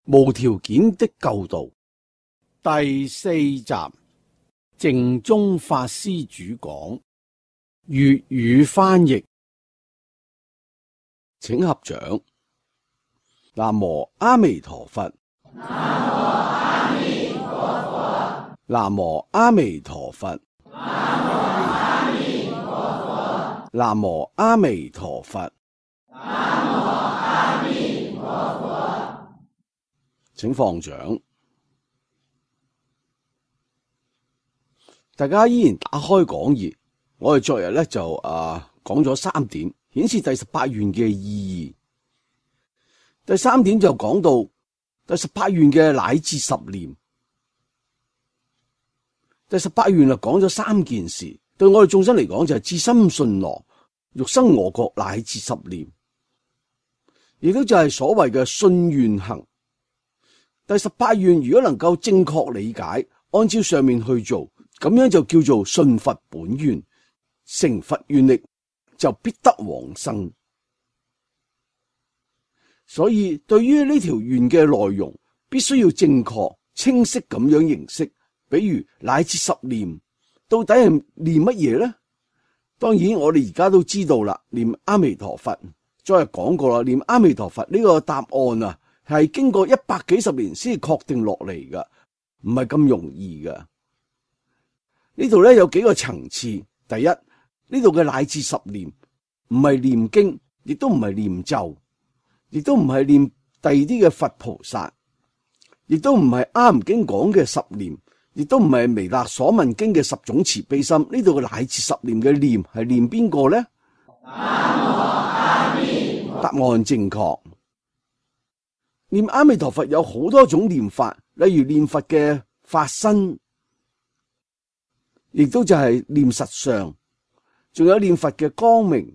無條件的救度第4集，淨宗法師主講，粵語翻譯，請合掌。南無阿彌陀佛。南無阿彌陀佛。南無阿彌陀佛。請放掌。大家依然打開講義，我哋昨日咧就講咗3點，顯示第18願嘅意義。第3點就講到第18願嘅乃至十念。第18願啊講咗3件事，對我哋眾生嚟講就係至心信羅，欲生我國乃至十念，亦都就係所謂嘅信願行。第18願如果能夠正確理解，按照上面去做，咁樣就叫做信佛本願，成佛願力就必得往生。所以對於呢條願嘅內容，必須要正確清晰咁樣認識。比如乃至十念，到底係念乜嘢呢？當然我哋而家都知道啦，念阿彌陀佛。昨日講過啦，念阿彌陀佛呢個答案啊，係經過100幾十年先確定落嚟噶，唔係咁容易噶。呢度咧有幾個層次。第一，呢度嘅乃至十念唔係念經，亦都唔係念咒，亦都唔係念第二啲嘅佛菩薩，亦都唔係阿含經講嘅十念，亦都唔係彌勒所問經嘅10種慈悲心。呢度嘅乃至十念嘅念係念邊個呢？答案正確。念阿彌陀佛有好多種念法，例如念佛嘅法身，亦都就係念實相，仲有念佛嘅光明，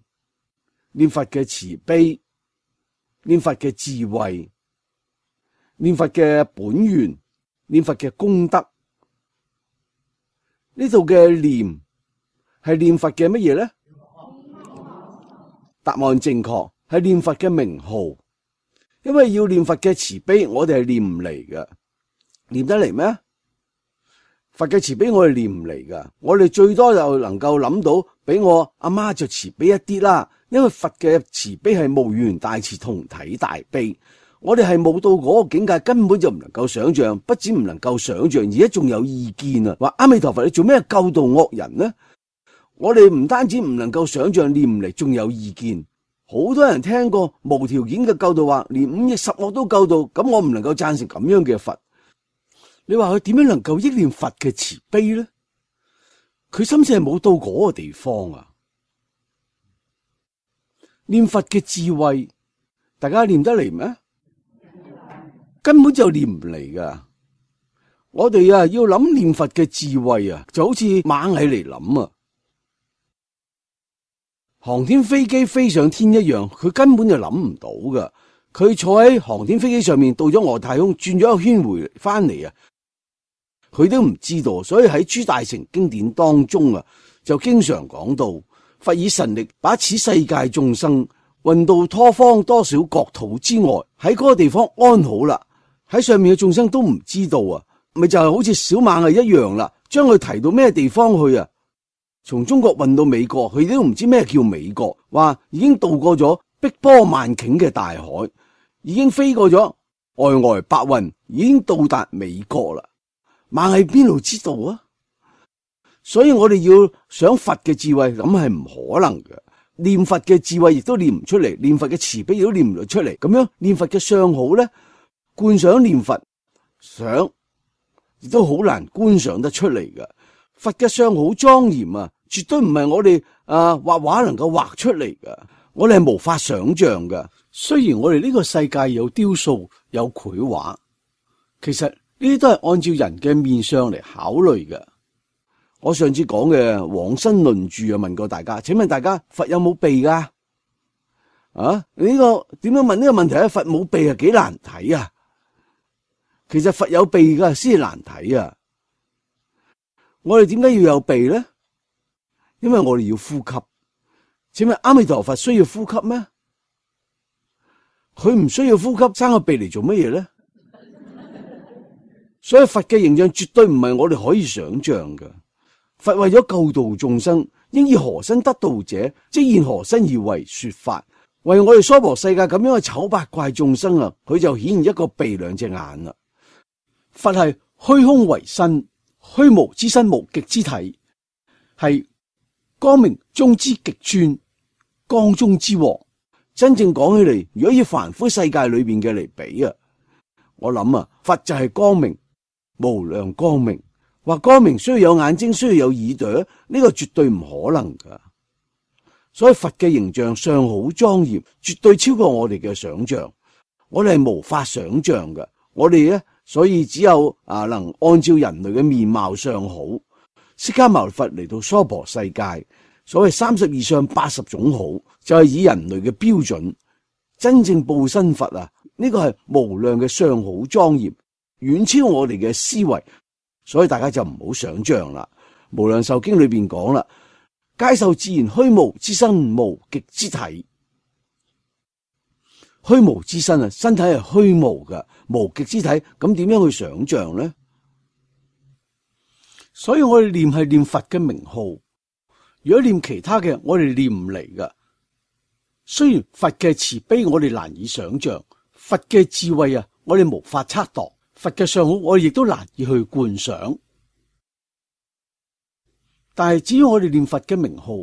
念佛嘅慈悲，念佛嘅智慧，念佛嘅本願，念佛嘅功德。呢度嘅念係念佛嘅乜嘢呢？答案正確，係念佛嘅名號。因為要念佛嘅慈悲，我哋係念唔嚟嘅。念得嚟咩？佛嘅慈悲我哋念唔嚟噶。我哋最多就能夠諗到，俾我阿媽就慈悲一啲啦。因為佛嘅慈悲係無緣大慈，同體大悲。我哋係冇到嗰個境界，根本就唔能夠想象，不止唔能夠想象，而且仲有意見啊！話阿彌陀佛，你做咩救度惡人呢？我哋唔單止唔能夠想象，念唔嚟，仲有意見。好多人聽過無條件嘅救度，話連5逆10惡都救度，咁我唔能夠贊成咁樣嘅佛。你話佢點樣能夠憶念佛嘅慈悲呢？佢心智係冇到嗰個地方啊！念佛嘅智慧，大家念得嚟咩？根本就念唔嚟噶。我哋要諗念佛嘅智慧啊，就好似螞蟻嚟諗啊。航天飛機飛上天一樣，佢根本就諗唔到噶。佢坐喺航天飛機上面，到咗外太空，轉咗一個圈回翻嚟啊，佢都唔知道。所以喺諸大乘經典當中啊，就經常講到佛以神力把此世界眾生運到他方多少國土之外，喺嗰個地方安好啦。喺上面嘅眾生都唔知道啊，咪就係好似小螞蟻一樣啦。將佢提到咩地方去啊？從中國運到美國，佢都唔知咩叫美國。話已經渡過咗碧波萬頃嘅大海，已經飛過咗皚皚白雲，已經到達美國啦。螞蟻邊度知道啊？所以我哋要想佛嘅智慧，咁係唔可能嘅。念佛嘅智慧亦都念唔出嚟，念佛嘅慈悲亦都念唔出嚟。咁樣念佛嘅相好咧，觀想念佛想亦都好難觀想得出嚟嘅。佛嘅相好莊嚴啊，絕對唔係我哋畫畫能夠畫出嚟嘅，我哋係無法想象嘅。雖然我哋呢個世界有雕塑有繪畫，其實呢啲都係按照人嘅面相嚟考慮嘅。我上次講嘅往生論著問過大家，請問大家佛有冇鼻噶？你呢個點樣問呢個問題咧？佛冇鼻係幾難睇啊！其實佛有鼻噶先係難睇啊！我哋點解要有鼻咧？因為我哋要呼吸。請問阿彌陀佛需要呼吸咩？佢唔需要呼吸，生個鼻嚟做乜嘢咧？所以佛嘅形象絕對唔係我哋可以想象嘅。佛為咗救度眾生，應以何身得道者，即現何身而為說法。為我哋娑婆世界咁樣嘅醜八怪眾生啊，佢就顯現一個鼻兩隻眼啦。佛係虛空為身，虛無之身，無極之體，係光明中之極尊，光中之王。真正講起嚟，如果以凡夫世界裏邊嘅嚟比啊，我諗啊，佛就係光明，無量光明。話光明需要有眼睛，需要有耳朵，呢個絕對唔可能噶。所以佛嘅形象上好莊嚴，絕對超過我哋嘅想象，我哋係無法想象嘅。我哋咧，所以只有能按照人類嘅面貌相好，釋迦牟尼佛嚟到娑婆世界，所謂32相80種好，就係以人類嘅標準，真正報身佛啊！呢個係無量嘅相好莊嚴，遠超我哋嘅思維。所以大家就唔好想象啦。無量壽經裏邊講啦，皆受自然虛無之身，無極之體。虛無之身啊，身體係虛無嘅，無極之體，咁點樣去想象呢？所以我哋念係念佛嘅名號，如果念其他嘅，我哋念唔嚟噶。雖然佛嘅慈悲我哋難以想象，佛嘅智慧啊，我哋無法測度。佛嘅相好，我哋亦都難以去觀想。但係只要我哋念佛嘅名號，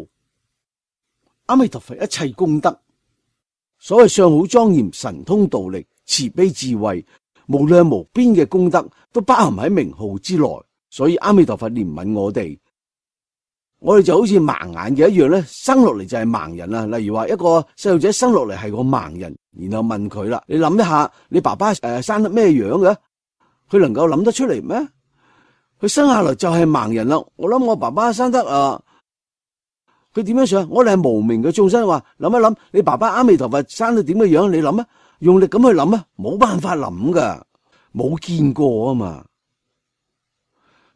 阿彌陀佛一切功德，所謂相好莊嚴、神通道力、慈悲智慧、無量無邊嘅功德，都包含喺名號之內。所以阿彌陀佛憐憫我哋，我哋就好似盲眼嘅一樣咧，生落嚟就係盲人啊。例如話一個細路仔生落嚟係個盲人，然後問佢啦，你諗一下，你爸爸生得咩樣嘅？佢能夠諗得出嚟咩？佢生下來就係盲人啦。我諗我爸爸生得佢點樣想？我哋係無明嘅眾生，話諗一諗，你爸爸阿彌陀佛生到點嘅樣？你諗啊，用力咁去諗啊，冇辦法諗噶，冇見過啊嘛。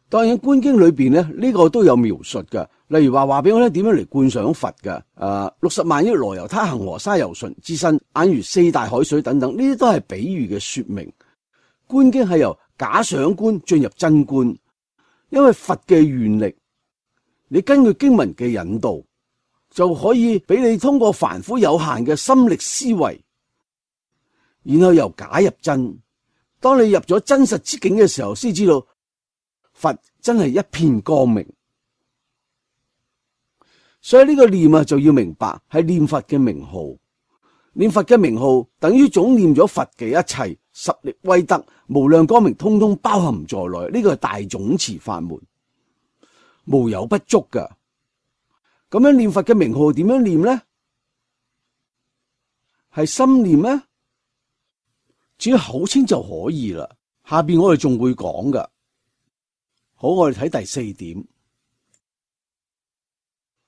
當然觀經裏邊咧，呢個都有描述噶。例如話俾我聽點樣嚟觀想佛噶。60萬億羅由他恒河沙柔順之身，眼如四大海水等等，呢啲都係比喻嘅說明。觀經係由假想觀進入真觀，因為佛嘅願力，你根據經文嘅引導，就可以俾你通過凡夫有限嘅心力思維，然後由假入真。當你入咗真實之境嘅時候，先知道佛真係一片光明。所以呢個念啊，就要明白係念佛嘅名號。念佛嘅名號等於總念咗佛嘅一切十力威德、無量光明，通通包含在內。呢個係大總持法門，無有不足噶。咁樣念佛嘅名號點樣念呢？係心念呢？只要口稱就可以啦。下邊我哋仲會講噶。好，我哋睇第4點。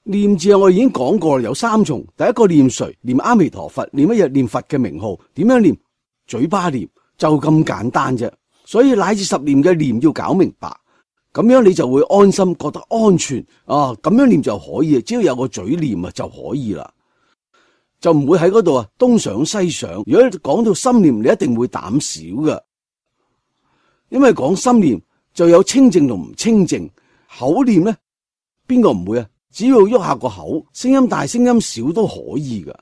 念字我已經講過啦，有3重。第一個念誰？念阿彌陀佛。念乜嘢？念佛嘅名號。點樣念？嘴巴念，就咁簡單啫。所以乃至10念嘅念要搞明白，咁樣你就會安心，覺得安全啊。咁樣念就可以，只要有個嘴念啊就可以啦，就唔會喺嗰度東想西想。如果講到心念，你一定會膽小噶，因為講心念就有清淨同唔清淨。口念咧，邊個唔會啊？只要喐下個口，聲音大聲音小都可以噶。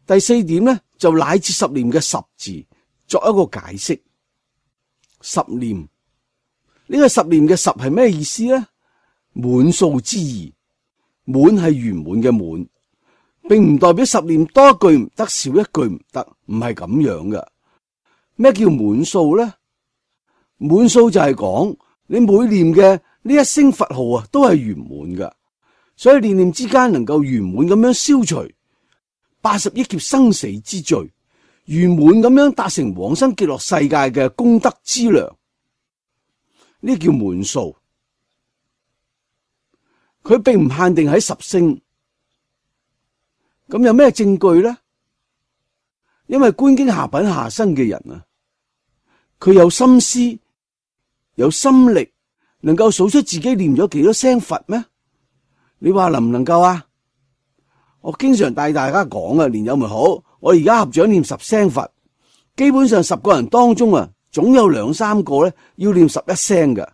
第4點咧，就乃至10念嘅十字作一個解釋。10念呢個10念嘅十係咩意思咧？滿數之意，滿係圓滿嘅滿，並唔代表10念多一句唔得，少一句唔得，唔係咁樣噶。咩叫滿數咧？滿數就係講你每念嘅呢一聲佛號啊，都係圓滿噶，所以念念之間能夠圓滿咁樣消除80億劫生死之罪，圓滿咁樣達成往生極樂世界嘅功德之糧，呢叫滿數。佢並唔限定喺10聲，咁有咩證據咧？因為觀經下品下生嘅人啊，佢有心思，有心力，能夠數出自己念咗幾多聲佛咩？你話能唔能夠啊？我經常帶大家講啊，蓮友們好，我而家合掌念10聲佛，基本上10個人當中啊，總有兩三個咧要念11聲嘅。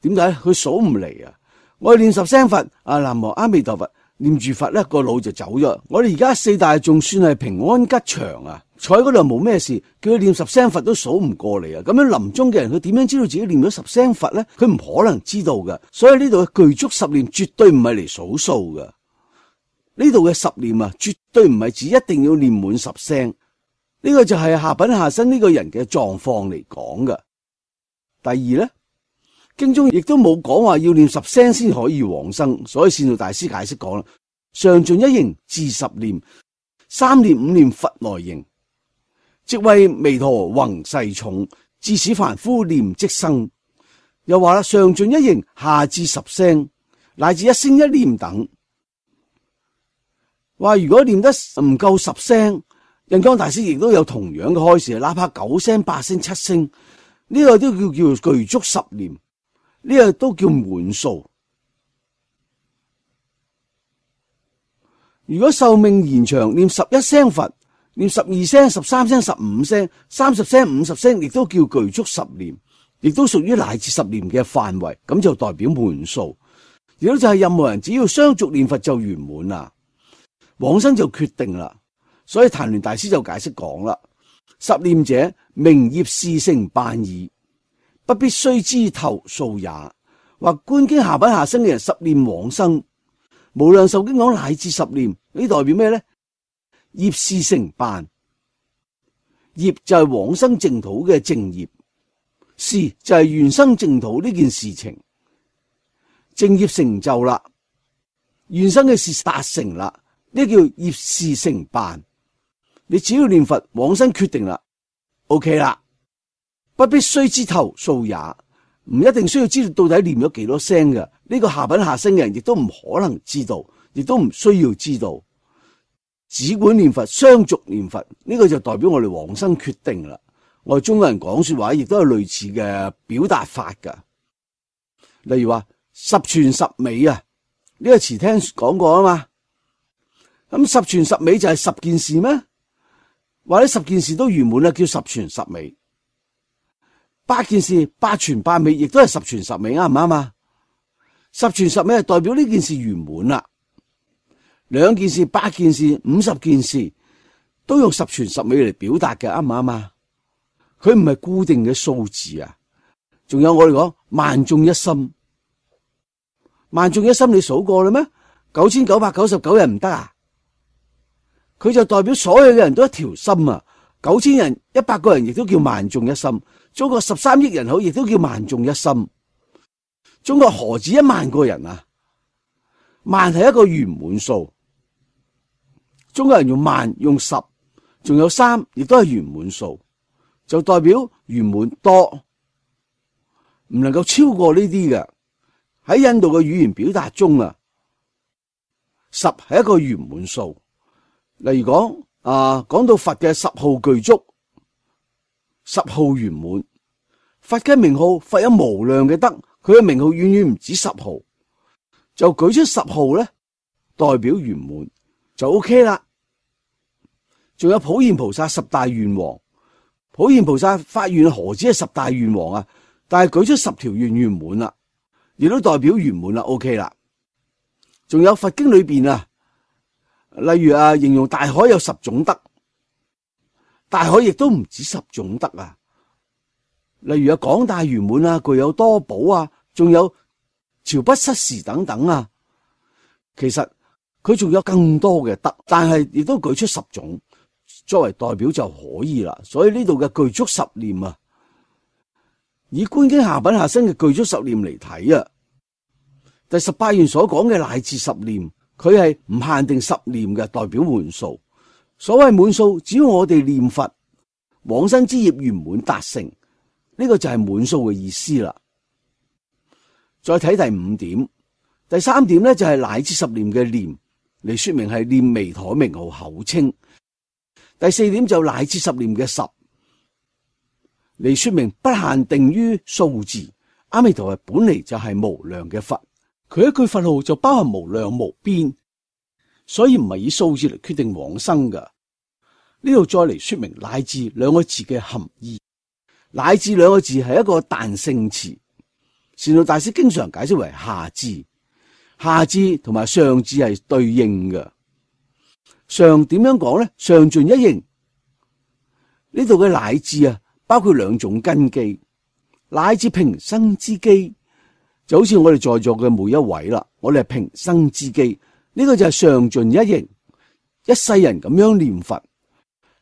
點解？佢數唔嚟啊！我哋念10聲佛，南無阿彌陀佛，念住佛咧個腦就走咗。我哋而家四大仲算係平安吉祥啊，坐喺嗰度冇咩事，叫佢念10聲佛都數唔過嚟啊！咁樣臨終嘅人，佢點樣知道自己念咗10聲佛咧？佢唔可能知道嘅。所以呢度嘅具足10念絕對唔係嚟數數嘅。呢度嘅10念啊，絕對唔係指一定要念滿10聲。呢個就係下品下生呢個人嘅狀況嚟講嘅。第二咧，經中亦都冇講話要念10聲先可以往生，所以善導大師解釋講啦：上盡一形至10念，3念5念佛來迎，即為彌陀宏誓重，致使凡夫念即生。又話啦，上盡一形，下至10聲，乃至1聲1念等。話如果念得唔夠10聲，印光大師亦都有同樣嘅開示，哪怕9聲、8聲、7聲，呢個都叫具足10念，呢個都叫滿數。如果壽命延長，念11聲佛，念12聲、13聲、15聲、30聲、50聲，亦都叫具足10念，亦都屬於乃至10念嘅範圍，咁就代表滿數。亦都就係任何人只要相續念佛就圓滿啦，往生就決定啦。所以曇鸞大師就解釋講啦：10念者，名業事成辦矣，不必須知頭數也。或觀經下品下生嘅人10念往生，無量壽經講乃至10念，呢代表咩咧？業事成辦，業就係往生淨土嘅正業，事就係願生淨土呢件事情，正業成就啦，願生嘅事達成啦，呢叫業事成辦。你只要念佛往生決定啦 ，OK 啦，不必須知頭數也，唔一定需要知道到底念咗幾多聲嘅。呢個下品下生嘅人亦都唔可能知道，亦都唔需要知道，只管念佛，相續念佛，呢個就代表我哋往生決定啦。我哋中國人講說話亦都有類似嘅表達法噶，例如話十全十美啊，呢個詞聽講過啊嘛。咁十全十美就係10件事咩？或者10件事都圓滿啦，叫十全十美。8件事8全8美，亦都係十全十美，啱唔啱啊？十全十美係代表呢件事圓滿啦。2件事、8件事、50件事，都用十全十美嚟表達嘅，啱唔啱啊？佢唔係固定嘅數字啊。仲有我哋講萬眾一心，萬眾一心你數過啦咩？9999人唔得啊？佢就代表所有嘅人都一條心啊！9000人、100個人亦都叫萬眾一心。中國13億人口亦都叫萬眾一心。中國何止1萬個人啊？萬係一個圓滿數。中國人用萬、用10，仲有3，亦都係圓滿數，就代表圓滿多，唔能夠超過呢啲嘅。喺印度嘅語言表達中啊，10係一個圓滿數。例如講到佛嘅10號具足，10號圓滿。佛嘅名號，佛有無量嘅德，佢嘅名號遠遠唔止10號，就舉出10號咧，代表圓滿就 OK 啦。仲有普賢菩薩10大願王，普賢菩薩發願何止係10大願王啊？但係舉出10條願圓滿啦，亦都代表圓滿啦 ，OK 啦。仲有佛經裏邊啊。例如形容大海有10種德，大海亦都唔止10種德啊。例如廣大圓滿啊，具有多寶啊，仲有朝不失時等等啊。其實佢仲有更多嘅德，但係亦都舉出10種作為代表就可以啦。所以呢度嘅具足10念啊，以觀經下品下生嘅具足10念嚟睇啊，第18願所講嘅乃至10念。佢係唔限定10念嘅，代表滿數。所謂滿數，只要我哋念佛，往生之業圓滿達成，呢個就係滿數嘅意思啦。再睇第5點，第3點咧就係乃至10念嘅念嚟說明係念彌陀名號口稱。第4點就乃至10念嘅10嚟說明不限定於數字。阿彌陀佛本嚟就係無量嘅佛。佢一句佛號就包含無量無邊，所以唔係以數字嚟決定往生噶。呢度再嚟說明乃至2個字嘅含義。乃至兩個字係一個彈性詞，善導大師經常解釋為下至，下至同埋上至係對應嘅。上點樣講呢？上盡一形。呢度嘅乃至啊，包括兩種根基，乃至平生之基，就好似我哋在座嘅每一位啦，我哋係平生之基，呢個就係上盡一形，一世人咁樣念佛，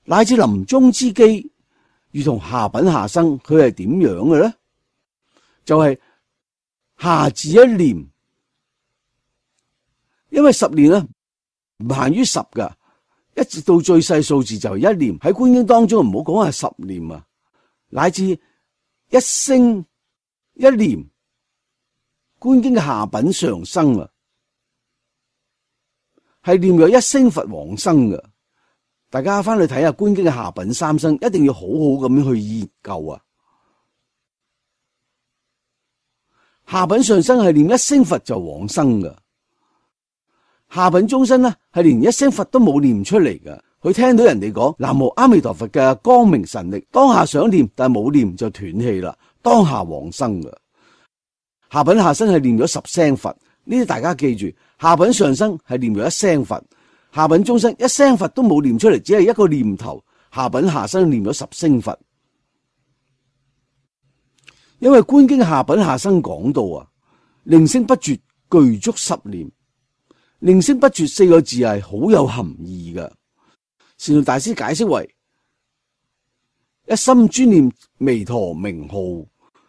乃至臨終之基，如同下品下生，佢係點樣嘅咧？就係下至一念，因為10年唔限於10噶，一直到最細數字就係一念。喺觀經當中唔好講係10念啊，乃至一聲一念，觀經嘅下品上生啊，係念咗一聲佛往生嘅。大家翻去睇下觀經嘅下品三生，一定要好好咁樣去研究啊。下品上生係念一聲佛就往生嘅，下品中生呢係連一聲佛都冇念出嚟嘅。佢聽到人哋講南無阿彌陀佛嘅光明神力，當下想念但係冇念就斷氣啦，當下往生嘅。下品下生係念咗10聲佛，呢啲大家記住。下品上生係念咗1聲佛，下品中生1聲佛都冇念出嚟，只係一個念頭。下品下生念咗10聲佛。因為觀經下品下生講到啊，令聲不絕，具足10念。令聲不絕4個字係好有含義嘅。善導大師解釋為一心專念彌陀名號，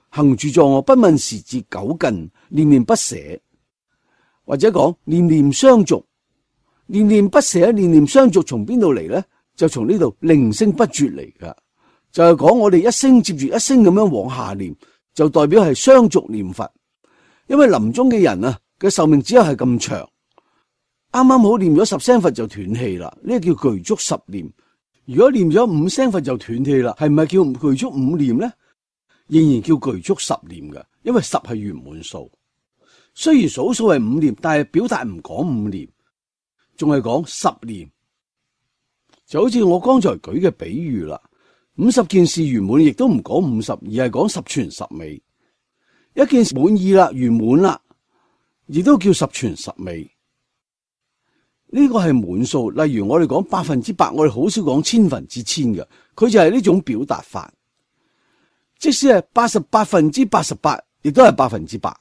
行住坐臥不問時節久近，念念不捨。或者講念念相續，念念不捨，念念相續從邊度嚟呢？就從呢度令聲不絕嚟噶，就係講我哋一聲接住一聲咁樣往下念，就代表係相續念佛。因為臨終嘅人啊嘅壽命只有係咁長，啱啱好念咗10聲佛就斷氣啦，呢個叫具足10念。如果念咗5聲佛就斷氣啦，係唔係叫具足5念呢？仍然叫具足10念嘅，因為10係圓滿數。雖然數係5念，但係表達唔講5念，仲係講10念。就好似我剛才舉嘅比喻啦，50件事圓滿，亦都唔講50，而係講10全10美。一件事滿意啦，圓滿啦，亦都叫10全10美。呢個係滿數。例如我哋講100%，我哋好少講1000%嘅，佢就係呢種表達法。即使係88%，亦都係100%。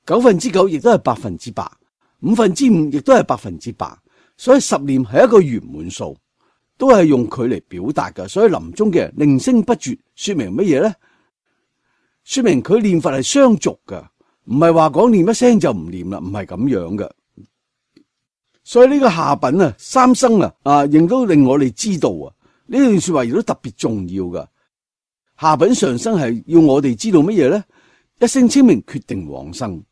9%亦都係100%，5%亦都係100%，所以10念係一個圓滿數，都係用佢嚟表達嘅。所以臨終嘅人令聲不絕，說明乜嘢咧？說明佢念佛係相續嘅，唔係話講念一聲就唔念啦，唔係咁樣嘅。所以呢個下品啊，三生啊，亦都令我哋知道啊，呢段說話亦都特別重要嘅。下品上生係要我哋知道乜嘢咧？一聲清明，決定往生。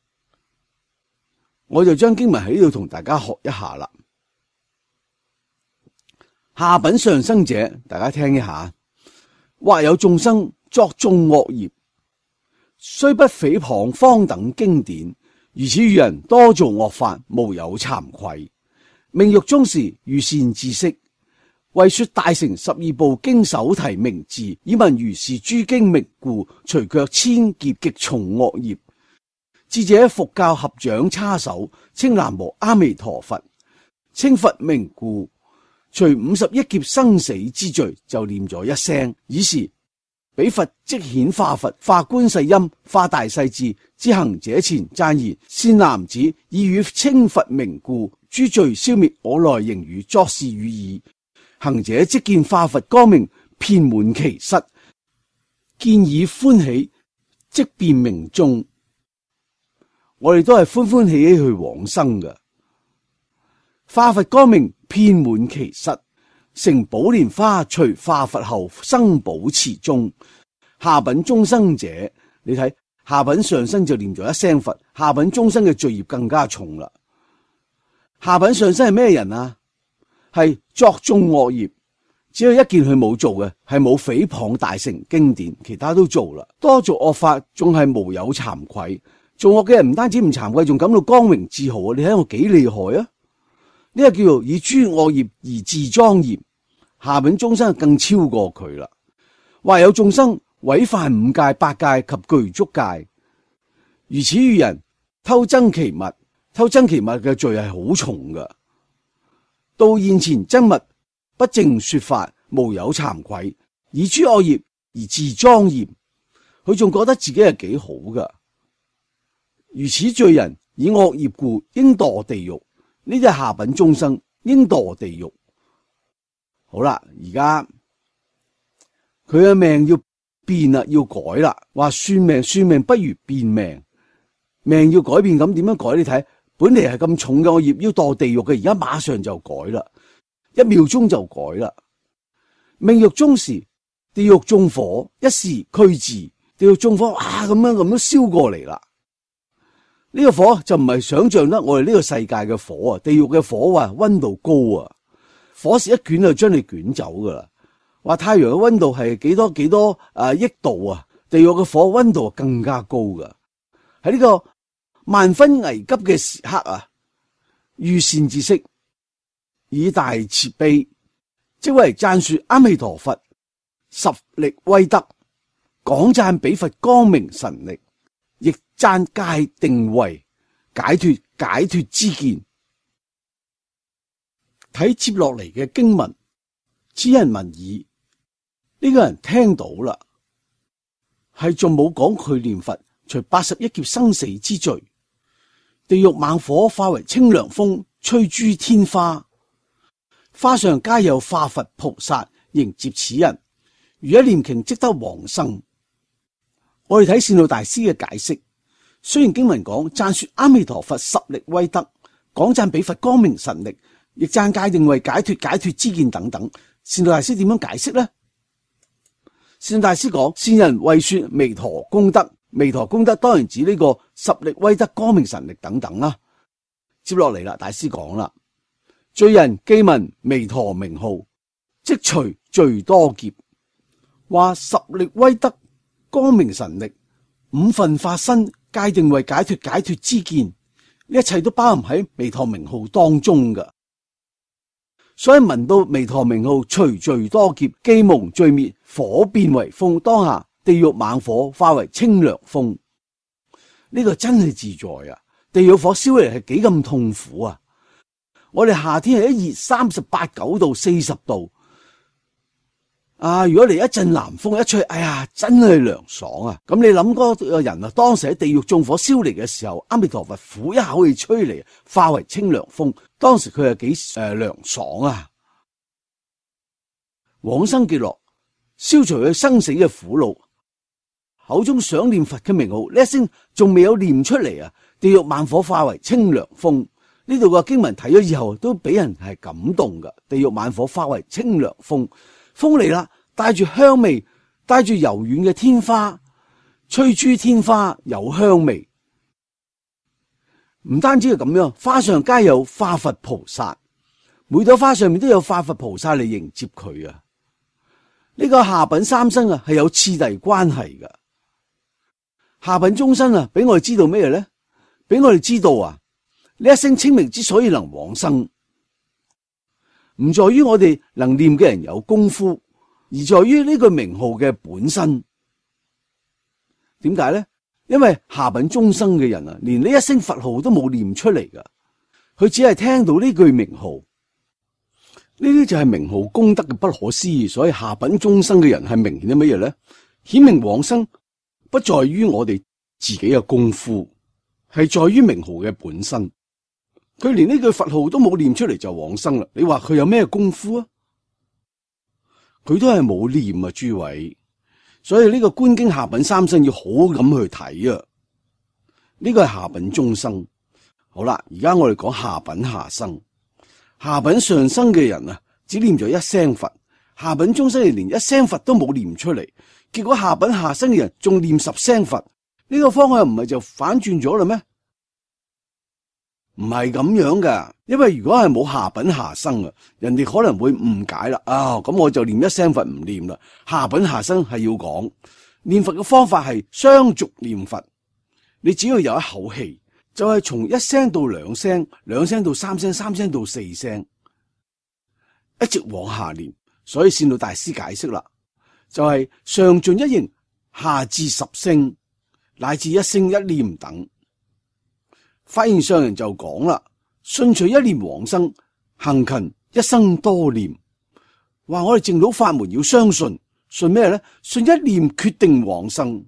我就將經文喺呢度同大家學一下啦。下品上生者，大家聽一下。或有眾生作眾惡業，雖不誹謗方等經典，如此與人多做惡法，無有慚愧。命欲終時，如善知識，為說大乘12部經手提名字，以聞如是諸經名故，除卻千劫極重惡業。智者伏教合掌叉手，稱南無阿彌陀佛，稱佛名故，除51劫生死之罪，就念咗1聲。以是彼佛即顯化佛，化觀世音，化大勢至之行者前讚言：善男子，意與稱佛名故，諸罪消滅，我來迎汝作是語已。行者即見化佛光明遍滿其室，見已歡喜，即辨命終。我哋都係歡歡喜喜去往生嘅。化佛光明遍滿其室，成寶蓮花，隨化佛後生寶池中。下品中生者，你睇下品上生就念咗1聲佛，下品中生嘅罪業更加重啦。下品上生係咩人啊？係作眾惡業，只有一件佢冇做嘅，係冇誹謗大乘經典，其他都做啦。多做惡法，仲係無有慚愧。做惡嘅人唔單止唔慚愧，仲感到光榮自豪啊！你睇我幾厲害啊！呢個叫做以諸惡業而自莊嚴。下品眾生更超過佢啦。或有眾生違犯五戒、八戒及具足戒。如此與人偷爭其物，偷爭其物嘅罪係好重噶。到現前爭物，不正說法，無有慚愧，以諸惡業而自莊嚴。佢仲覺得自己係幾好噶。如此罪人以惡業故，應墮地獄。呢啲係下品眾生，應墮地獄。好啦，而家佢嘅命要變啦，要改啦。話算命不如變命，命要改變，咁點樣改？你睇，本嚟係咁重嘅惡業要墮地獄嘅，而家馬上就改啦，1秒鐘就改啦。命欲終時，地獄縱火，一時俱至。地獄縱火，哇咁樣燒過嚟啦。呢個火就唔係想象得我哋呢個世界嘅火啊，地獄嘅火啊，溫度高啊，火舌一捲就將你捲走噶啦。話太陽嘅溫度係幾多億度啊，地獄嘅火溫度更加高噶。喺呢個萬分危急嘅時刻啊，遇善知識，以大慈悲，即為讚說阿彌陀佛十力威德，講讚彼佛光明神力，亦讚戒定慧解脫之見。睇接落嚟嘅經文，此人聞已，呢個人聽到啦，係仲冇講佢念佛除81劫生死之罪。地獄猛火化為清涼風，吹諸天花，花上皆有化佛菩薩迎接此人，如一念頃即得往生。我哋睇善導大師嘅解釋，雖然經文講讚說阿彌陀佛十力威德，講讚彼佛光明神力，亦讚戒定慧解脫之見等等，善導大師點樣解釋呢？善導大師講，善人為說彌陀功德，彌陀功德當然指呢個十力威德光明神力等等啦。接落嚟啦，大師講啦，罪人既聞彌陀名號，即除罪多劫。話十力威德光明神力、五分法身、戒定慧解脫之見，呢一切都包含喺彌陀名號當中噶。所以聞到彌陀名號，除罪多劫，既蒙罪滅，火變為風，當下地獄猛火化為清涼風。呢個真係自在啊！地獄火燒嚟係幾咁痛苦啊！我哋夏天係一熱38、9度、40度啊！如果嚟一陣南風一吹，哎呀，真係涼爽啊！咁你諗嗰個人啊，當時喺地獄縱火燒嚟嘅時候，阿彌陀佛苦一口氣吹嚟，化為清涼風，當時佢係幾涼爽啊！往生極樂，消除佢生死嘅苦惱，口中想念佛嘅名號，呢一聲仲未有念出嚟啊！地獄猛火化為清涼風，呢度嘅經文睇咗以後都俾人係感動噶。地獄猛火化為清涼風，風嚟啦，帶住香味，帶住柔軟嘅天花，吹諸天花有香味。唔單止係咁樣，花上皆有化佛菩薩，每朵花上面都有化佛菩薩嚟迎接佢啊！呢個下品三生啊，係有次第關係噶。下品中生啊，俾我哋知道咩咧？俾我哋知道啊，呢一聲清明之所以能往生，唔在於我哋能念嘅人有功夫，而在於呢個名號嘅本身。點解咧？因為下品中生嘅人啊，連呢一聲佛號都冇念出嚟噶，佢只係聽到呢句名號。呢啲就係名號功德嘅不可思議。所以下品中生嘅人係明顯啲乜嘢咧？顯明往生不在於我哋自己嘅功夫，係在於名號嘅本身。佢連呢句佛號都冇念出嚟就往生啦。你話佢有咩功夫啊？佢都係冇念啊，諸位。所以呢個觀經下品三生要好咁去睇啊。呢個係下品中生。好啦，而家我哋講下品下生。下品上生嘅人啊，只念咗一聲佛；下品中生連一聲佛都冇念出嚟。結果下品下生嘅人仲念10聲佛，呢個方向唔係就反轉咗啦咩？唔係咁樣噶，因為如果係冇下品下生啊，人哋可能會誤解啦。咁我就念一聲佛唔念啦。下品下生係要講念佛嘅方法係雙續念佛，你只要有一口氣，就係從一聲到兩聲，兩聲到三聲，三聲到四聲，一直往下念。所以善導大師解釋啦，就係上盡一形下至十聲，乃至一聲一念等。發現上人就講啦，信隨一念往生，行勤一生多念。話我哋淨土法門要相信，信咩咧？信一念決定往生，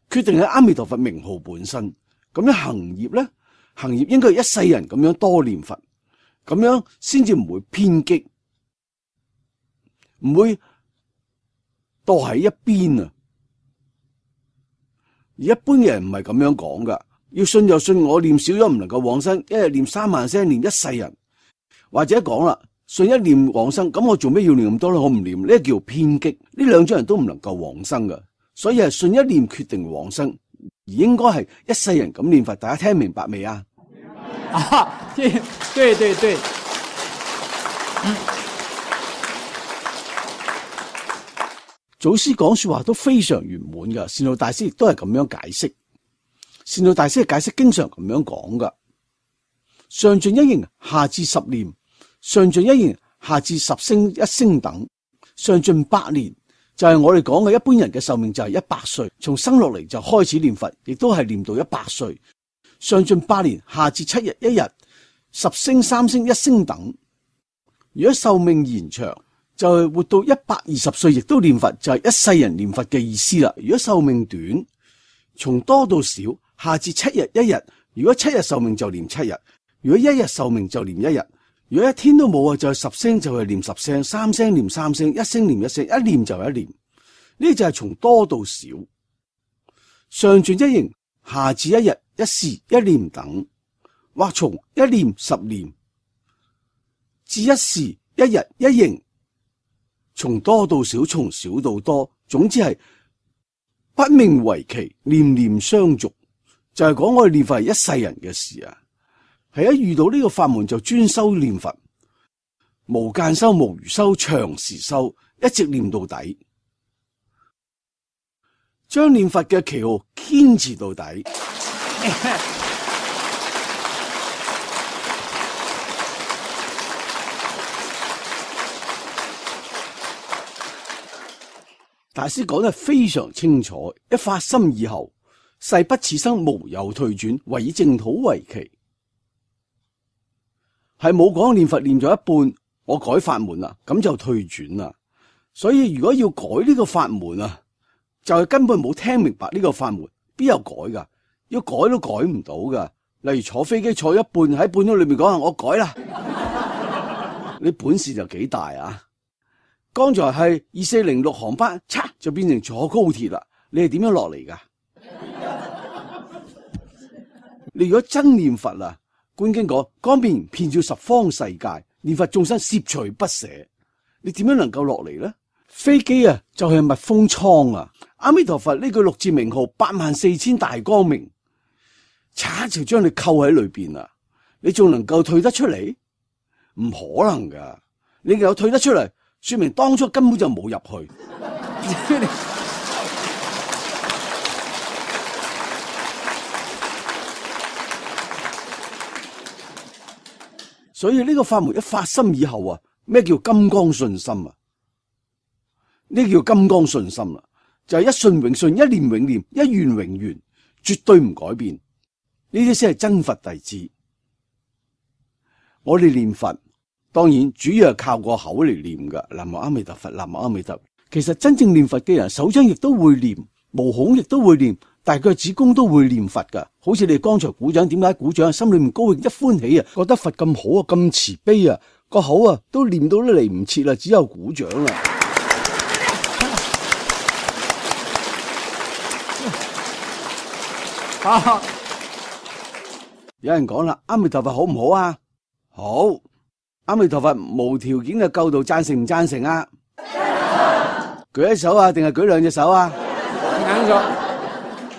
決定喺阿彌陀佛名號本身。咁樣行業咧，行業應該係一世人咁樣多念佛，咁樣先至唔會偏激，唔會墮喺一邊啊！而一般嘅人唔係咁樣講噶，要信就信我念少咗唔能夠往生，一日念3萬聲，念一世人，或者講啦，信一念往生，咁我做咩要念咁多咧？我唔念，呢叫偏激，呢兩種人都唔能夠往生噶，所以係信一念決定往生。而應該係一世人咁念佛，大家聽明白未啊？啊，對，祖師講說話都非常圓滿噶，善導大師亦都係咁樣解釋。善導大師嘅解釋經常咁樣講噶：上盡一形，下至10念；上盡一形，下至10聲一聲等；上盡百年。就係我哋講嘅一般人嘅壽命就係100歲，從生落嚟就開始念佛，亦都係念到100歲。上盡8年，下至7日1日，10聲3聲1聲等。如果壽命延長，就係活到120歲，亦都念佛，就係一世人念佛嘅意思啦。如果壽命短，從多到少，下至7日1日，如果7日壽命就念7日，如果1日壽命就念1日。如果一天都冇啊，就係10聲就係念10聲，3聲念3聲，一聲念一聲，一念就一念。呢就係從多到少，上盡一形，下至1日1時1念等，或從1念10年至1時1日1形，從多到少，從少到多，總之係不命為期，念念相續，就係講我哋念佛係一世人嘅事啊！係一遇到呢個法門就專修念佛，無間修無餘修，長時修，一直念到底，將念佛嘅旗號堅持到底。大師講得非常清楚，一發心以後，誓不此生無有退轉，唯以淨土為期。係冇講念佛念咗一半，我改法門啦，咁就退轉啦。所以如果要改呢個法門啊，就係根本冇聽明白呢個法門，邊有改噶？要改都改唔到噶。例如坐飛機坐一半，喺半途裏面講我改啦，你本事就幾大啊！剛才係2406航班，就變成坐高鐵啦，你係點樣落嚟噶？你如果真念佛啊，觀經講光明遍照十方世界，念佛眾生攝取不捨，你點樣能夠落嚟呢？飛機啊就係密封艙啊！阿彌陀佛呢句6字名號84000大光明，就將你扣喺裏邊啊！你仲能夠退得出嚟？唔可能噶！你又退得出嚟，說明當初根本就冇入去。所以呢個法門一發心以後啊，咩叫金剛信心啊？呢叫金剛信心啦，就係一信永信，一念永念，一願永願，絕對唔改變。呢啲先係真佛弟子。我哋念佛，當然主要係靠個口嚟念噶，南無阿彌陀佛，南無阿彌陀佛。其實真正念佛嘅人，手掌亦都會念，毛孔亦都會念，大腳趾公都會念佛噶。好似你剛才鼓掌，點解鼓掌？心裏面高興一歡喜啊，覺得佛咁好啊，咁慈悲啊，個口啊都念到都嚟唔切啦，只有鼓掌啦。有人講啦，阿彌陀佛好唔好啊？好，阿彌陀佛無條件嘅救度，贊成唔贊成啊？舉一手啊，定係舉2隻手啊？硬咗。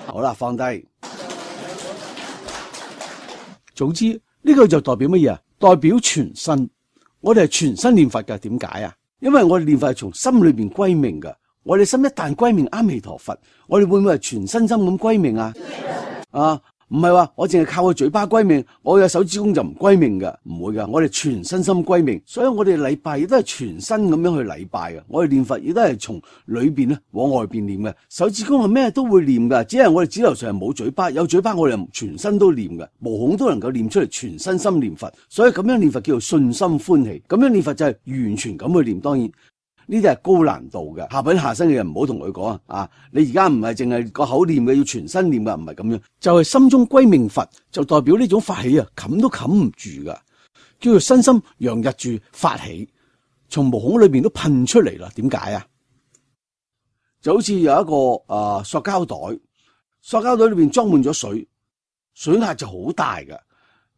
好啦，放低。總之呢個就代表乜嘢啊？代表全身，我哋係全身念佛噶。點解啊？因為我哋念佛係從心裏邊歸命噶。我哋心一旦歸命阿彌陀佛，我哋會唔會係全身心咁歸命啊？啊，唔係話我淨係靠個嘴巴歸命，我有手指公就唔歸命㗎，唔會㗎。我哋全身心歸命，所以我哋禮拜亦都係全身咁樣去禮拜嘅。我哋念佛亦都係從裏邊咧往外邊念嘅。手指公係咩都會念㗎，只係我哋指頭上係冇嘴巴，有嘴巴我哋全身都念㗎，毛孔都能夠念出嚟，全身心念佛。所以咁樣念佛叫做信心歡喜，咁樣念佛就係完全咁去念。當然呢啲係高難度嘅，下品下生嘅人唔好同佢講啊！你而家唔係淨係個口念嘅，要全身念㗎，唔係咁樣，就係心中歸命佛，就代表呢種法喜啊，冚都冚唔住噶，叫做身心洋溢住法喜，從毛孔裏邊都噴出嚟啦。點解啊？就好似有一個塑膠袋，塑膠袋裏邊裝滿咗水，水壓就好大噶，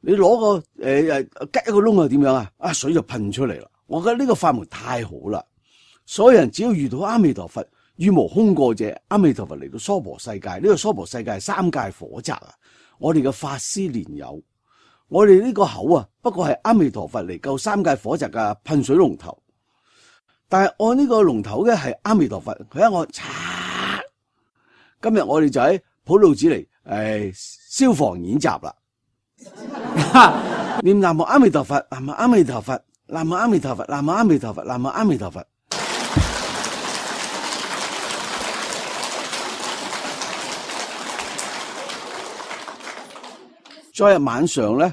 你攞個吉一個窿啊，點樣啊？水就噴出嚟啦。我覺得呢個法門太好啦。所有人只要遇到阿彌陀佛，於無空過者，阿彌陀佛嚟到娑婆世界，呢個娑婆世界係三界火宅啊！我哋嘅法師蓮友，我哋呢個口啊，不過係阿彌陀佛嚟救三界火宅嘅噴水龍頭，但係按呢個龍頭嘅係阿彌陀佛，佢一按，今日我哋就喺普魯寺嚟消防演習啦，念南無阿彌陀佛，南無阿彌陀佛，南無阿彌陀佛，南無阿彌陀佛，南無阿彌陀佛。再日晚上咧，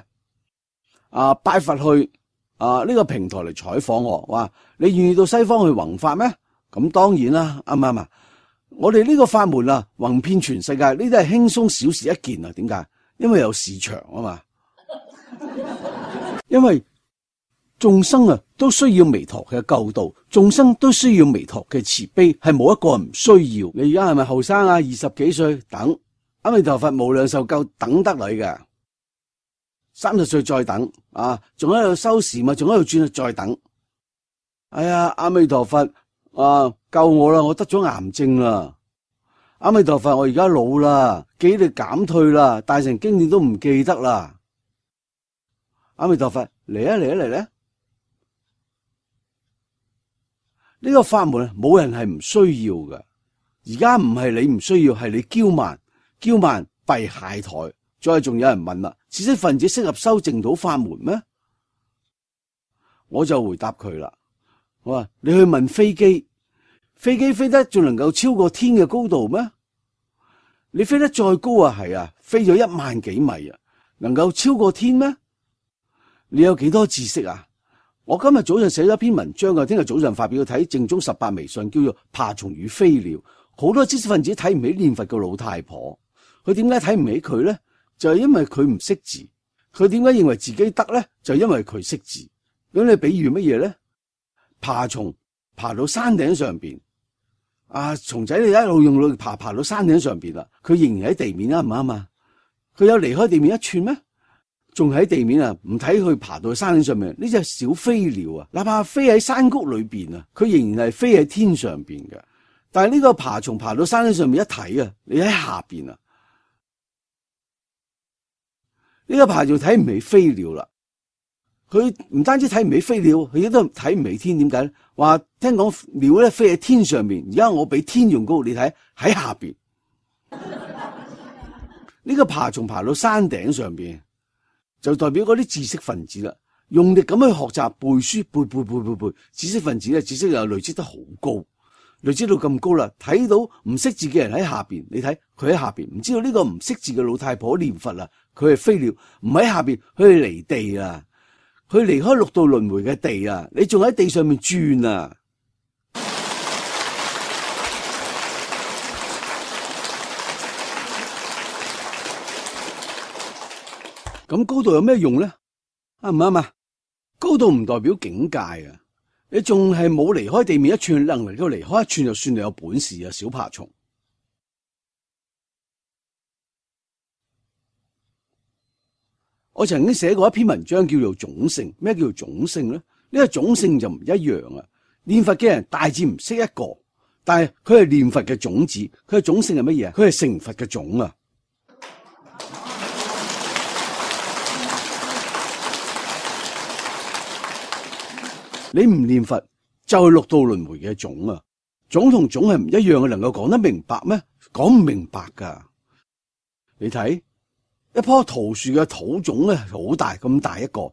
拜佛去呢個平台嚟採訪我，話你願意到西方去弘法咩？咁當然啦，啱唔啱啊？我哋呢個法門啊，弘遍全世界，呢啲係輕鬆小事一件啊。點解？因為有市場啊嘛。因為眾生啊都需要彌陀嘅救度，眾生都需要彌陀嘅慈悲，係冇一個人唔需要。你而家係咪後生啊？20幾歲等阿彌陀佛無量壽夠等得你嘅。30歲再等仲喺度收時嘛，仲喺度轉再等。哎呀，阿彌陀佛救我啦！我得咗癌症啦！阿彌陀佛，我而家老啦，記憶力減退啦，大乘經典都唔記得啦。阿彌陀佛，嚟啊嚟啊嚟咧！呢個法門冇人係唔需要嘅。而家唔係你唔需要，係你驕慢，驕慢弊懈怠。再仲有人問啦，知識分子適合修淨土法門咩？我就回答佢啦，我話你去問飛機，飛機飛得仲能夠超過天嘅高度咩？你飛得再高啊，係啊，飛咗1萬幾米啊，能夠超過天咩？你有幾多知識啊？我今日早上寫咗一篇文章啊，聽日早上發表睇正宗18微信，叫做《爬蟲與飛鳥》。好多知識分子睇唔起念佛嘅老太婆，佢點解睇唔起佢咧？就係因為佢唔識字。佢點解認為自己得咧？就因為佢識字。咁你比喻乜嘢咧？爬蟲爬到山頂上邊，蟲仔你一路用力爬到山頂上邊啦，佢仍然喺地面啱唔啱啊？佢有離開地面一寸咩？仲喺地面啊？唔睇佢爬到山頂上面，呢隻小飛鳥啊，哪怕飛喺山谷裏邊啊，佢仍然係飛喺天上邊嘅。但係呢個爬蟲爬到山頂上面一睇啊，你喺下邊啊。呢個爬蟲睇唔起飛鳥啦，佢唔單止睇唔起飛鳥，佢亦都睇唔起天。點解咧？話聽講鳥咧飛喺天上面，而家我比天仲高，你睇喺下邊。呢個爬蟲爬到山頂上邊，就代表嗰啲知識分子啦，用力咁去學習背書，背。知識分子咧，知識又累積得好高，累積到咁高啦，睇到唔識字嘅人喺下邊，你睇佢喺下邊，唔知道呢個唔識字嘅老太婆念佛啦。佢係飛鳥，唔喺下邊，佢係離地啊！佢離開6道輪迴嘅地啊！你仲喺地上面轉啊！咁高度有咩用咧？啱唔啱啊？高度唔代表境界啊！你仲係冇離開地面一寸，能夠離開一寸就算你有本事啊！小爬蟲。我曾經寫過一篇文章叫做種性。咩叫做種性咧？呢個種性就唔一樣啊！念佛嘅人大致唔識一個，但係佢係念佛嘅種子，佢嘅種性係乜嘢？佢係成佛嘅種啊！你唔念佛就係6道輪迴嘅種啊！種同種係唔一樣嘅，能夠講得明白咩？講唔明白噶。你睇一棵桃樹嘅土種咧好大，咁大一個，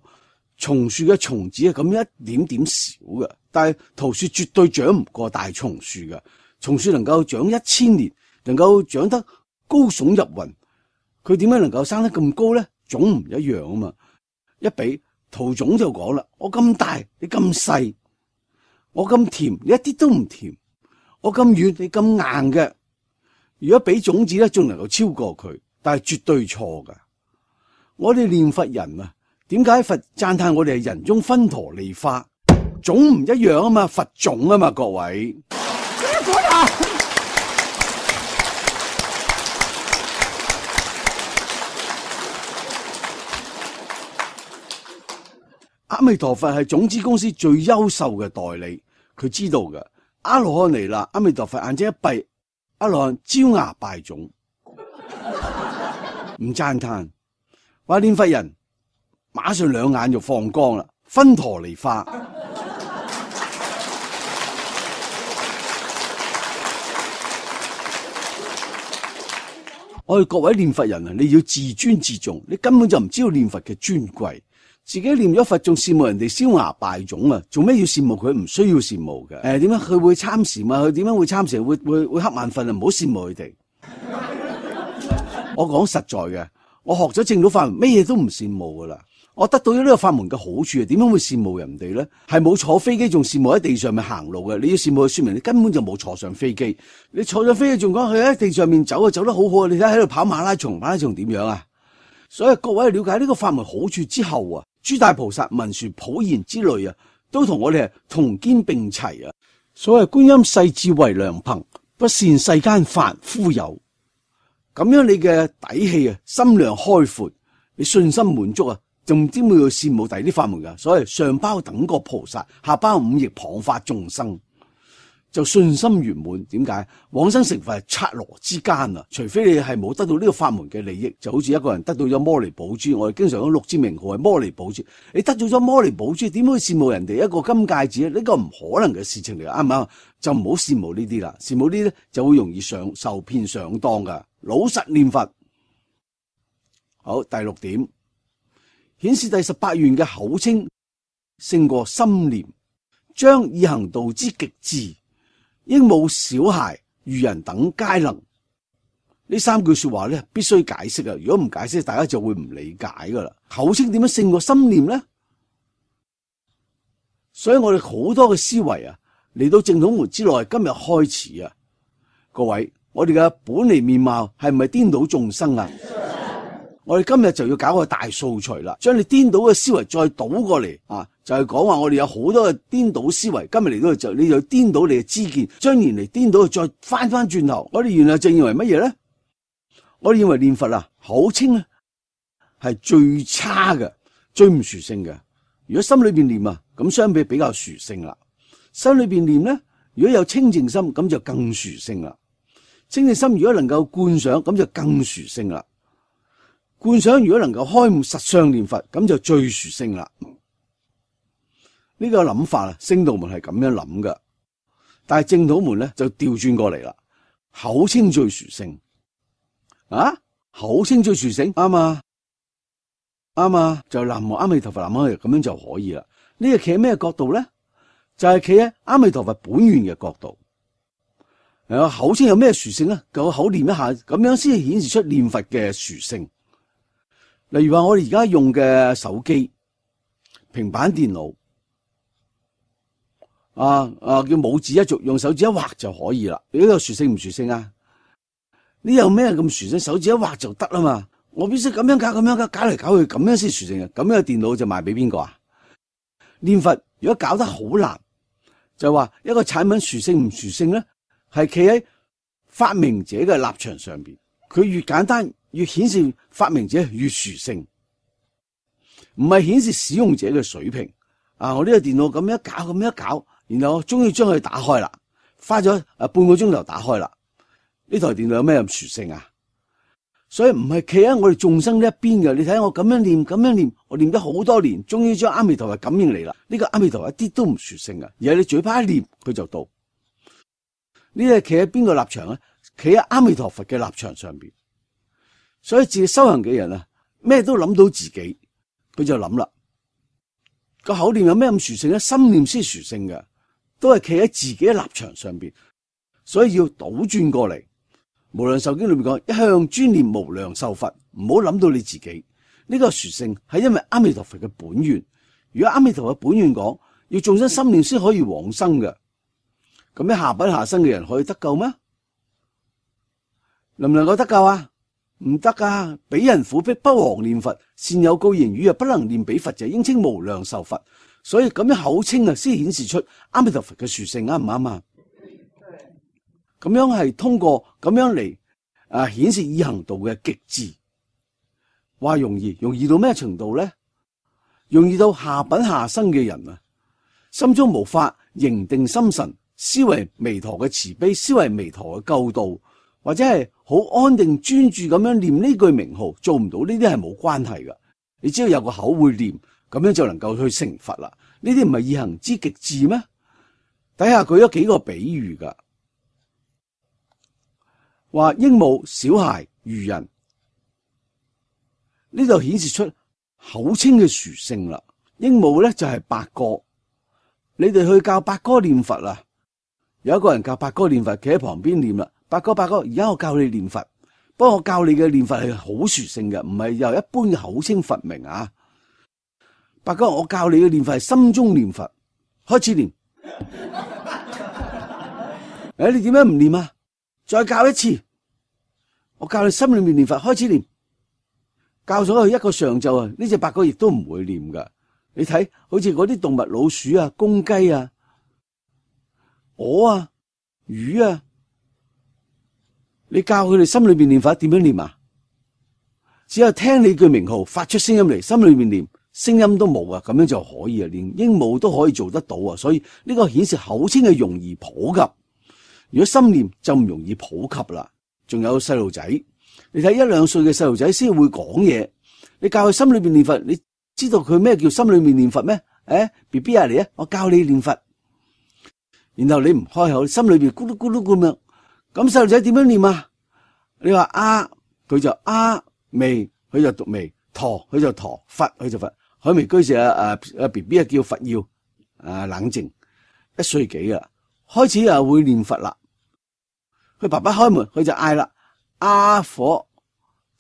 松樹嘅松子咁一點點少嘅，但係桃樹絕對長唔過大松樹嘅。松樹能夠長1000年，能夠長得高聳入雲，佢點解能夠生得咁高咧？種唔一樣啊嘛。一比桃種就講啦，我咁大，你咁細；我咁甜，你一啲都唔甜；我咁軟，你咁硬嘅。如果比種子咧，仲能夠超過佢，但係絕對錯噶。我哋念佛人啊，點解佛讚嘆我哋係人中分陀利花？種唔一樣啊嘛，佛種啊嘛，各位。阿彌陀佛係種子公司最優秀嘅代理，佢知道嘅。阿羅漢嚟啦，阿彌陀佛眼睛一閉，阿羅漢招牙拜種，唔讚嘆，話念佛人馬上兩眼就放光啦，分陀利花。我哋各位念佛人啊，你要自尊自重，你根本就唔知道念佛嘅尊貴，自己念咗佛仲羨慕人哋燒牙拜種啊，做咩要羨慕佢？唔需要羨慕嘅。點樣佢會參禪啊？佢點樣會參禪？會瞌眼瞓啊？唔好羨慕佢哋。我講實在嘅，我學咗正道法門，咩嘢都唔羨慕噶啦。我得到咗呢個法門嘅好處啊，點樣會羨慕人哋咧？係冇坐飛機仲羨慕喺地上面行路嘅，你要羨慕佢，說明你根本就冇坐上飛機。你坐咗飛機仲講佢喺地上面走啊，走得好好啊！你睇喺度跑馬拉松，馬拉松點樣啊？所以各位了解呢個法門好處之後啊，諸大菩薩、文殊、普賢之類啊，都同我哋係同肩並齊啊。所謂觀音世智為良朋，不羨世間凡夫有。咁樣你嘅底氣啊，心量開闊，你信心滿足啊。仲點會去羨慕第啲法門噶？所謂上包等覺菩薩，下包五逆謗法眾生，就信心圓滿。點解？往生成佛係剎那之間啊！除非你係冇得到呢個法門嘅利益，就好似一個人得到咗摩尼寶珠，我哋經常講六支名號係摩尼寶珠。你得到咗摩尼寶珠，點會羨慕人哋一個金戒指咧？呢個唔可能嘅事情嚟，啱唔啱？就唔好羨慕呢啲啦，羨慕呢啲就會容易受騙上當噶。老實念佛。好，第6點。顯示第18願嘅口稱勝過心念，將以行道之極致，應冇小孩、愚人等皆能。呢3句說話咧，必須解釋啊！如果唔解釋，大家就會唔理解噶啦。口稱點樣勝過心念咧？所以我哋好多嘅思維啊，嚟到正統門之內，今日開始啊，各位，我哋嘅本嚟面貌係唔係顛倒眾生啊？我哋今日就要搞個大掃除啦，將你顛倒嘅思維再倒過嚟啊！就係講話我哋有好多嘅顛倒思維，今日嚟到就你就顛倒你嘅知見，將原嚟顛倒嘅再翻轉頭。我哋原來就認為乜嘢咧？我哋認為念佛啊，口稱咧係最差嘅，最唔殊勝嘅。如果心裏邊念啊，咁相比較殊勝啦。心裏邊念咧，如果有清淨心，咁就更殊勝啦。清淨心如果能夠觀想，咁就更殊勝啦。觀想如果能夠開悟實相念佛，咁就最殊勝啦。呢個諗法啊，聖道門係咁樣諗噶，但係正道門咧就調轉過嚟啦。口稱最殊勝啊，口稱最殊勝啱啊，啱啊，就南無阿彌陀佛，南無阿彌陀佛咁樣就可以啦。呢個企喺咩角度咧？就係企喺阿彌陀佛本願嘅角度。口稱有咩殊勝咧？個口念一下，咁樣先顯示出念佛嘅殊勝。例如話我哋而家用嘅手機、平板電腦，叫拇指一族，用手指一劃就可以啦。你呢個殊勝唔殊勝啊？你有咩咁殊勝？手指一劃就得啦嘛。我必須咁樣搞，咁樣搞嚟搞去，咁樣先殊勝嘅。咁樣嘅電腦就賣俾邊個啊？念佛如果搞得好難，就話一個產品殊勝唔殊勝咧，係企喺發明者嘅立場上邊，佢越簡單，越顯示發明者越殊勝，唔係顯示使用者嘅水平。我呢個電腦咁樣搞，咁樣搞，然後我終於將佢打開啦，花咗半個鐘頭打開啦。呢台電腦有咩咁殊勝啊？所以唔係企喺我哋眾生呢一邊嘅。你睇我咁樣念，咁樣念，我念咗好多年，終於將阿彌陀佛感應嚟啦。呢個阿彌陀佛一啲都唔殊勝啊，而係你嘴巴一念佢就到。呢係企喺邊個立場咧？企喺阿彌陀佛嘅立場上邊。所以自己修行嘅人啊，咩都諗到自己，佢就諗啦，個口念有咩咁殊勝咧？心念先殊勝嘅，都係企喺自己嘅立場上邊，所以要倒轉過嚟。無量壽經裏面講，一向專念無量壽佛，唔好諗到你自己。呢個殊勝係因為阿彌陀佛嘅本願。如果阿彌陀佛本願講，要眾生心念先可以往生嘅，咁樣下品下生嘅人可以得救咩？能唔能夠得救啊？唔得噶，彼人苦逼不忘念佛，善有告言語不能念彼佛者，應稱無量壽佛。所以咁樣口稱啊，先顯示出阿彌陀佛嘅殊勝，啱唔啱啊？咁樣係通過咁樣嚟顯示以行道嘅極致。話容易到咩程度咧？容易到下品下生嘅人啊，心中無法凝定心神，思維彌陀嘅慈悲，思維彌陀嘅救度，或者係好安定專注咁樣念呢句名號，做唔到呢啲係冇關係噶。你只要有個口會念，咁樣就能夠去成佛啦。呢啲唔係以行之極致咩？底下舉咗幾個比喻噶。話鸚鵡、小孩、愚人，呢度顯示出口稱嘅殊勝啦。鸚鵡咧就係八哥，你哋去教八哥念佛啊。有一個人教八哥念佛，企喺旁邊念啦。八哥，而家我教你念佛，不過我教你嘅念佛係好殊勝嘅，唔係由一般嘅口稱佛名啊。八哥，我教你嘅念佛係心中念佛，開始念。你點解唔念啊？再教一次，我教你心裏面念佛，開始念。教咗佢一個上晝啊，呢隻八哥亦都唔會念噶。你睇，好似嗰啲動物，老鼠啊、公雞啊、鵝啊、魚啊，你教佢哋心裏面念佛點樣念啊？只有聽你句名號，發出聲音嚟，心裏面念，聲音都冇啊，咁樣就可以啊。連鸚鵡都可以做得到啊。所以呢個顯示口稱係容易普及。如果心念就唔容易普及啦。仲有細路仔，你睇1、2歲嘅細路仔先會講嘢，你教佢心裏面念佛，你知道佢咩叫心裏面念佛咩？BB 啊嚟啊，我教你念佛。然後你唔開口，心裏面咕嚕咕嚕咁樣，咁細路仔點樣念啊？你話啊，佢就啊，未，佢就讀未，陀佢就陀，佛佢就佛。海眉居士BB 叫佛要冷靜，1歲幾啊，開始會念佛啦。佢爸爸開門，佢就嗌啦，阿佛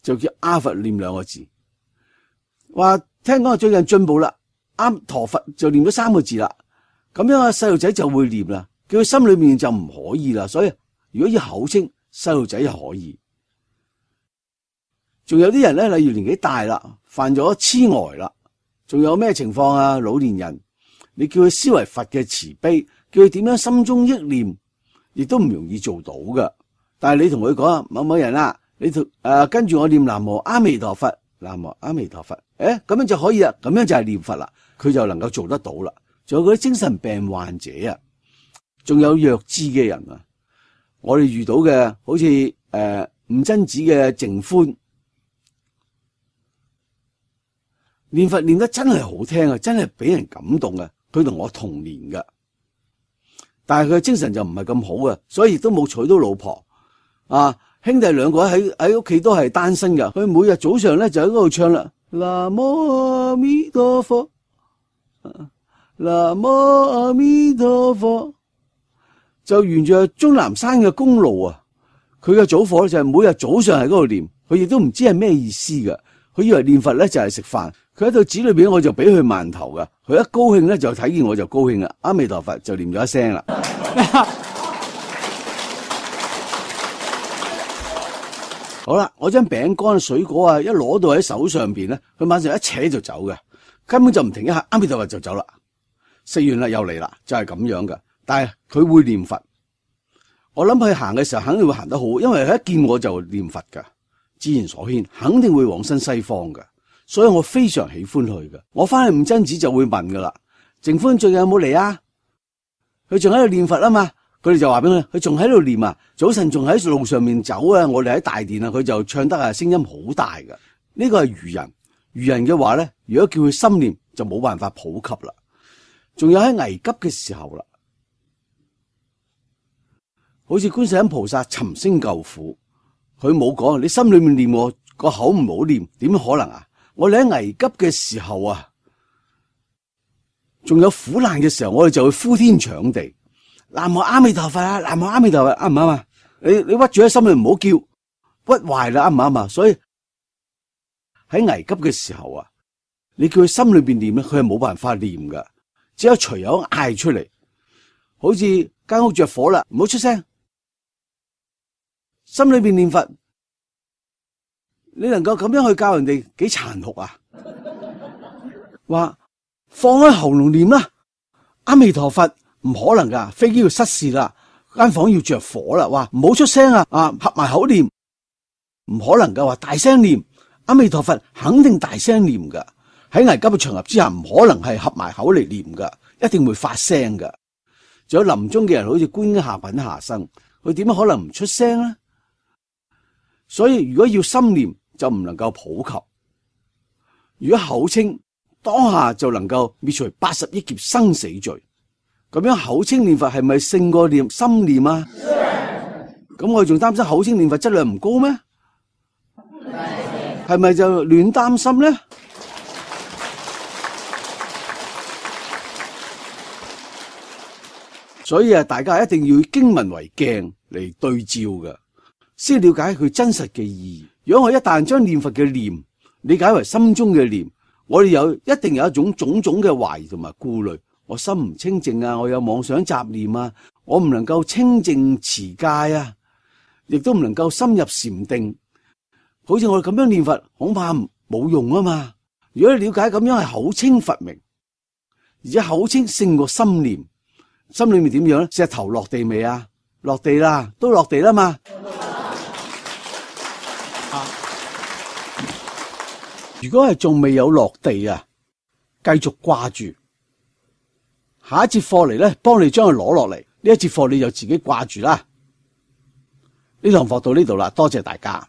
就叫阿佛念2個字。話聽講最近進步啦，啱陀佛就念咗3個字啦。咁樣啊，細路仔就會念啦。叫佢心裏面就唔可以啦。所以如果要口稱，細路仔就可以。仲有啲人咧，例如年紀大啦，犯咗痴呆啦，仲有咩情況啊？老年人，你叫佢思維佛嘅慈悲，叫佢點樣心中憶念，亦都唔容易做到噶。但係你同佢講啊，某某人啊，你跟住我念南無阿彌陀佛，南無阿彌陀佛，咁樣就可以啦。咁樣就係念佛啦，佢就能夠做得到啦。仲有嗰啲精神病患者啊，仲有弱智嘅人啊，我哋遇到嘅好似悟真子嘅淨歡，念佛念得真係好聽啊，真係俾人感動啊。佢同我同年噶，但係佢嘅精神就唔係咁好啊，所以亦都冇娶到老婆啊。兄弟2個喺屋企都係單身噶，佢每日早上咧就喺嗰度唱啦，南無阿彌陀佛，南無阿彌陀佛，就沿住終南山嘅公路啊。佢嘅早課咧就係每日早上喺嗰度念，佢亦都唔知係咩意思噶，佢以為念佛咧就係食飯。佢喺度紙裏邊，我就俾佢饅頭噶。佢一高興咧，就睇見我就高興啦。阿彌陀佛就念咗一聲啦。好啦，我將餅乾、水果啊，一攞到喺手上邊咧，佢馬上一扯就走嘅，根本就唔停一下。阿彌陀佛就走啦。食完啦又嚟啦，就係咁樣噶。但係佢會念佛，我諗佢行嘅時候肯定會行得好，因為佢一見我就念佛噶，自然所牽，肯定會往生西方噶。所以我非常喜歡佢嘅。我翻去悟真寺就會問噶啦，淨歡最近有冇嚟啊？佢仲喺度念佛啊嘛。佢哋就話俾佢，佢仲喺度念啊。早晨仲喺路上面走啊。我哋喺大殿啊，佢就唱得聲音好大嘅。呢個係愚人。愚人嘅話咧，如果叫佢心念就冇辦法普及啦。仲有喺危急嘅時候啦，好似觀世音菩薩尋聲救苦，佢冇講，你心裏面念我個口唔好念，點可能啊？我哋喺危急嘅時候啊，仲有苦難嘅時候，我哋就會呼天搶地，南無阿彌陀佛啊，南無阿彌陀佛，啱唔啱啊？你屈住喺心裏唔好叫，屈壞啦，啱唔啱啊？所以喺危急嘅時候啊，你叫佢心裏邊念咧，佢係冇辦法念噶，只有隨口嗌出嚟，好似間屋着火啦，唔好出聲，心裏邊念佛。你能夠咁樣去教人哋幾殘酷啊？話放喺喉嚨念啦，阿彌陀佛，唔可能噶，飛機要失事啦，間房要着火啦，話唔好出聲啊，合埋口念，唔可能噶，話大聲念，阿彌陀佛肯定大聲念噶，喺危急嘅場合之下，唔可能係合埋口嚟念噶，一定會發聲噶。仲有臨終嘅人，好似觀音下品下生，佢點樣可能唔出聲呢？所以如果要心念，就唔能夠普及。如果口稱，當下就能夠滅除80億劫生死罪。咁樣口稱念佛係咪勝過念心念啊？咁我哋仲擔心口稱念佛質量唔高咩？係咪就亂擔心咧？所以啊，大家一定要以經文為鏡嚟對照嘅，先了解佢真實嘅意義。如果我一旦將念佛嘅念理解為心中嘅念，我哋一定有一種種種嘅懷疑同埋顧慮。我心唔清淨啊，我有妄想雜念啊，我唔能夠清淨持戒啊，亦都唔能夠深入禪定。好似我哋咁樣念佛，恐怕冇用啊嘛。如果你了解咁樣係口稱佛名，而且口稱勝過心念，心裏面點樣咧？石頭落地未啊？落地啦，都落地啦嘛。如果係仲未有落地啊，繼續掛住，下一節課嚟咧，幫你將佢攞落嚟。呢一節課你就自己掛住啦。呢堂課到呢度啦，多謝大家。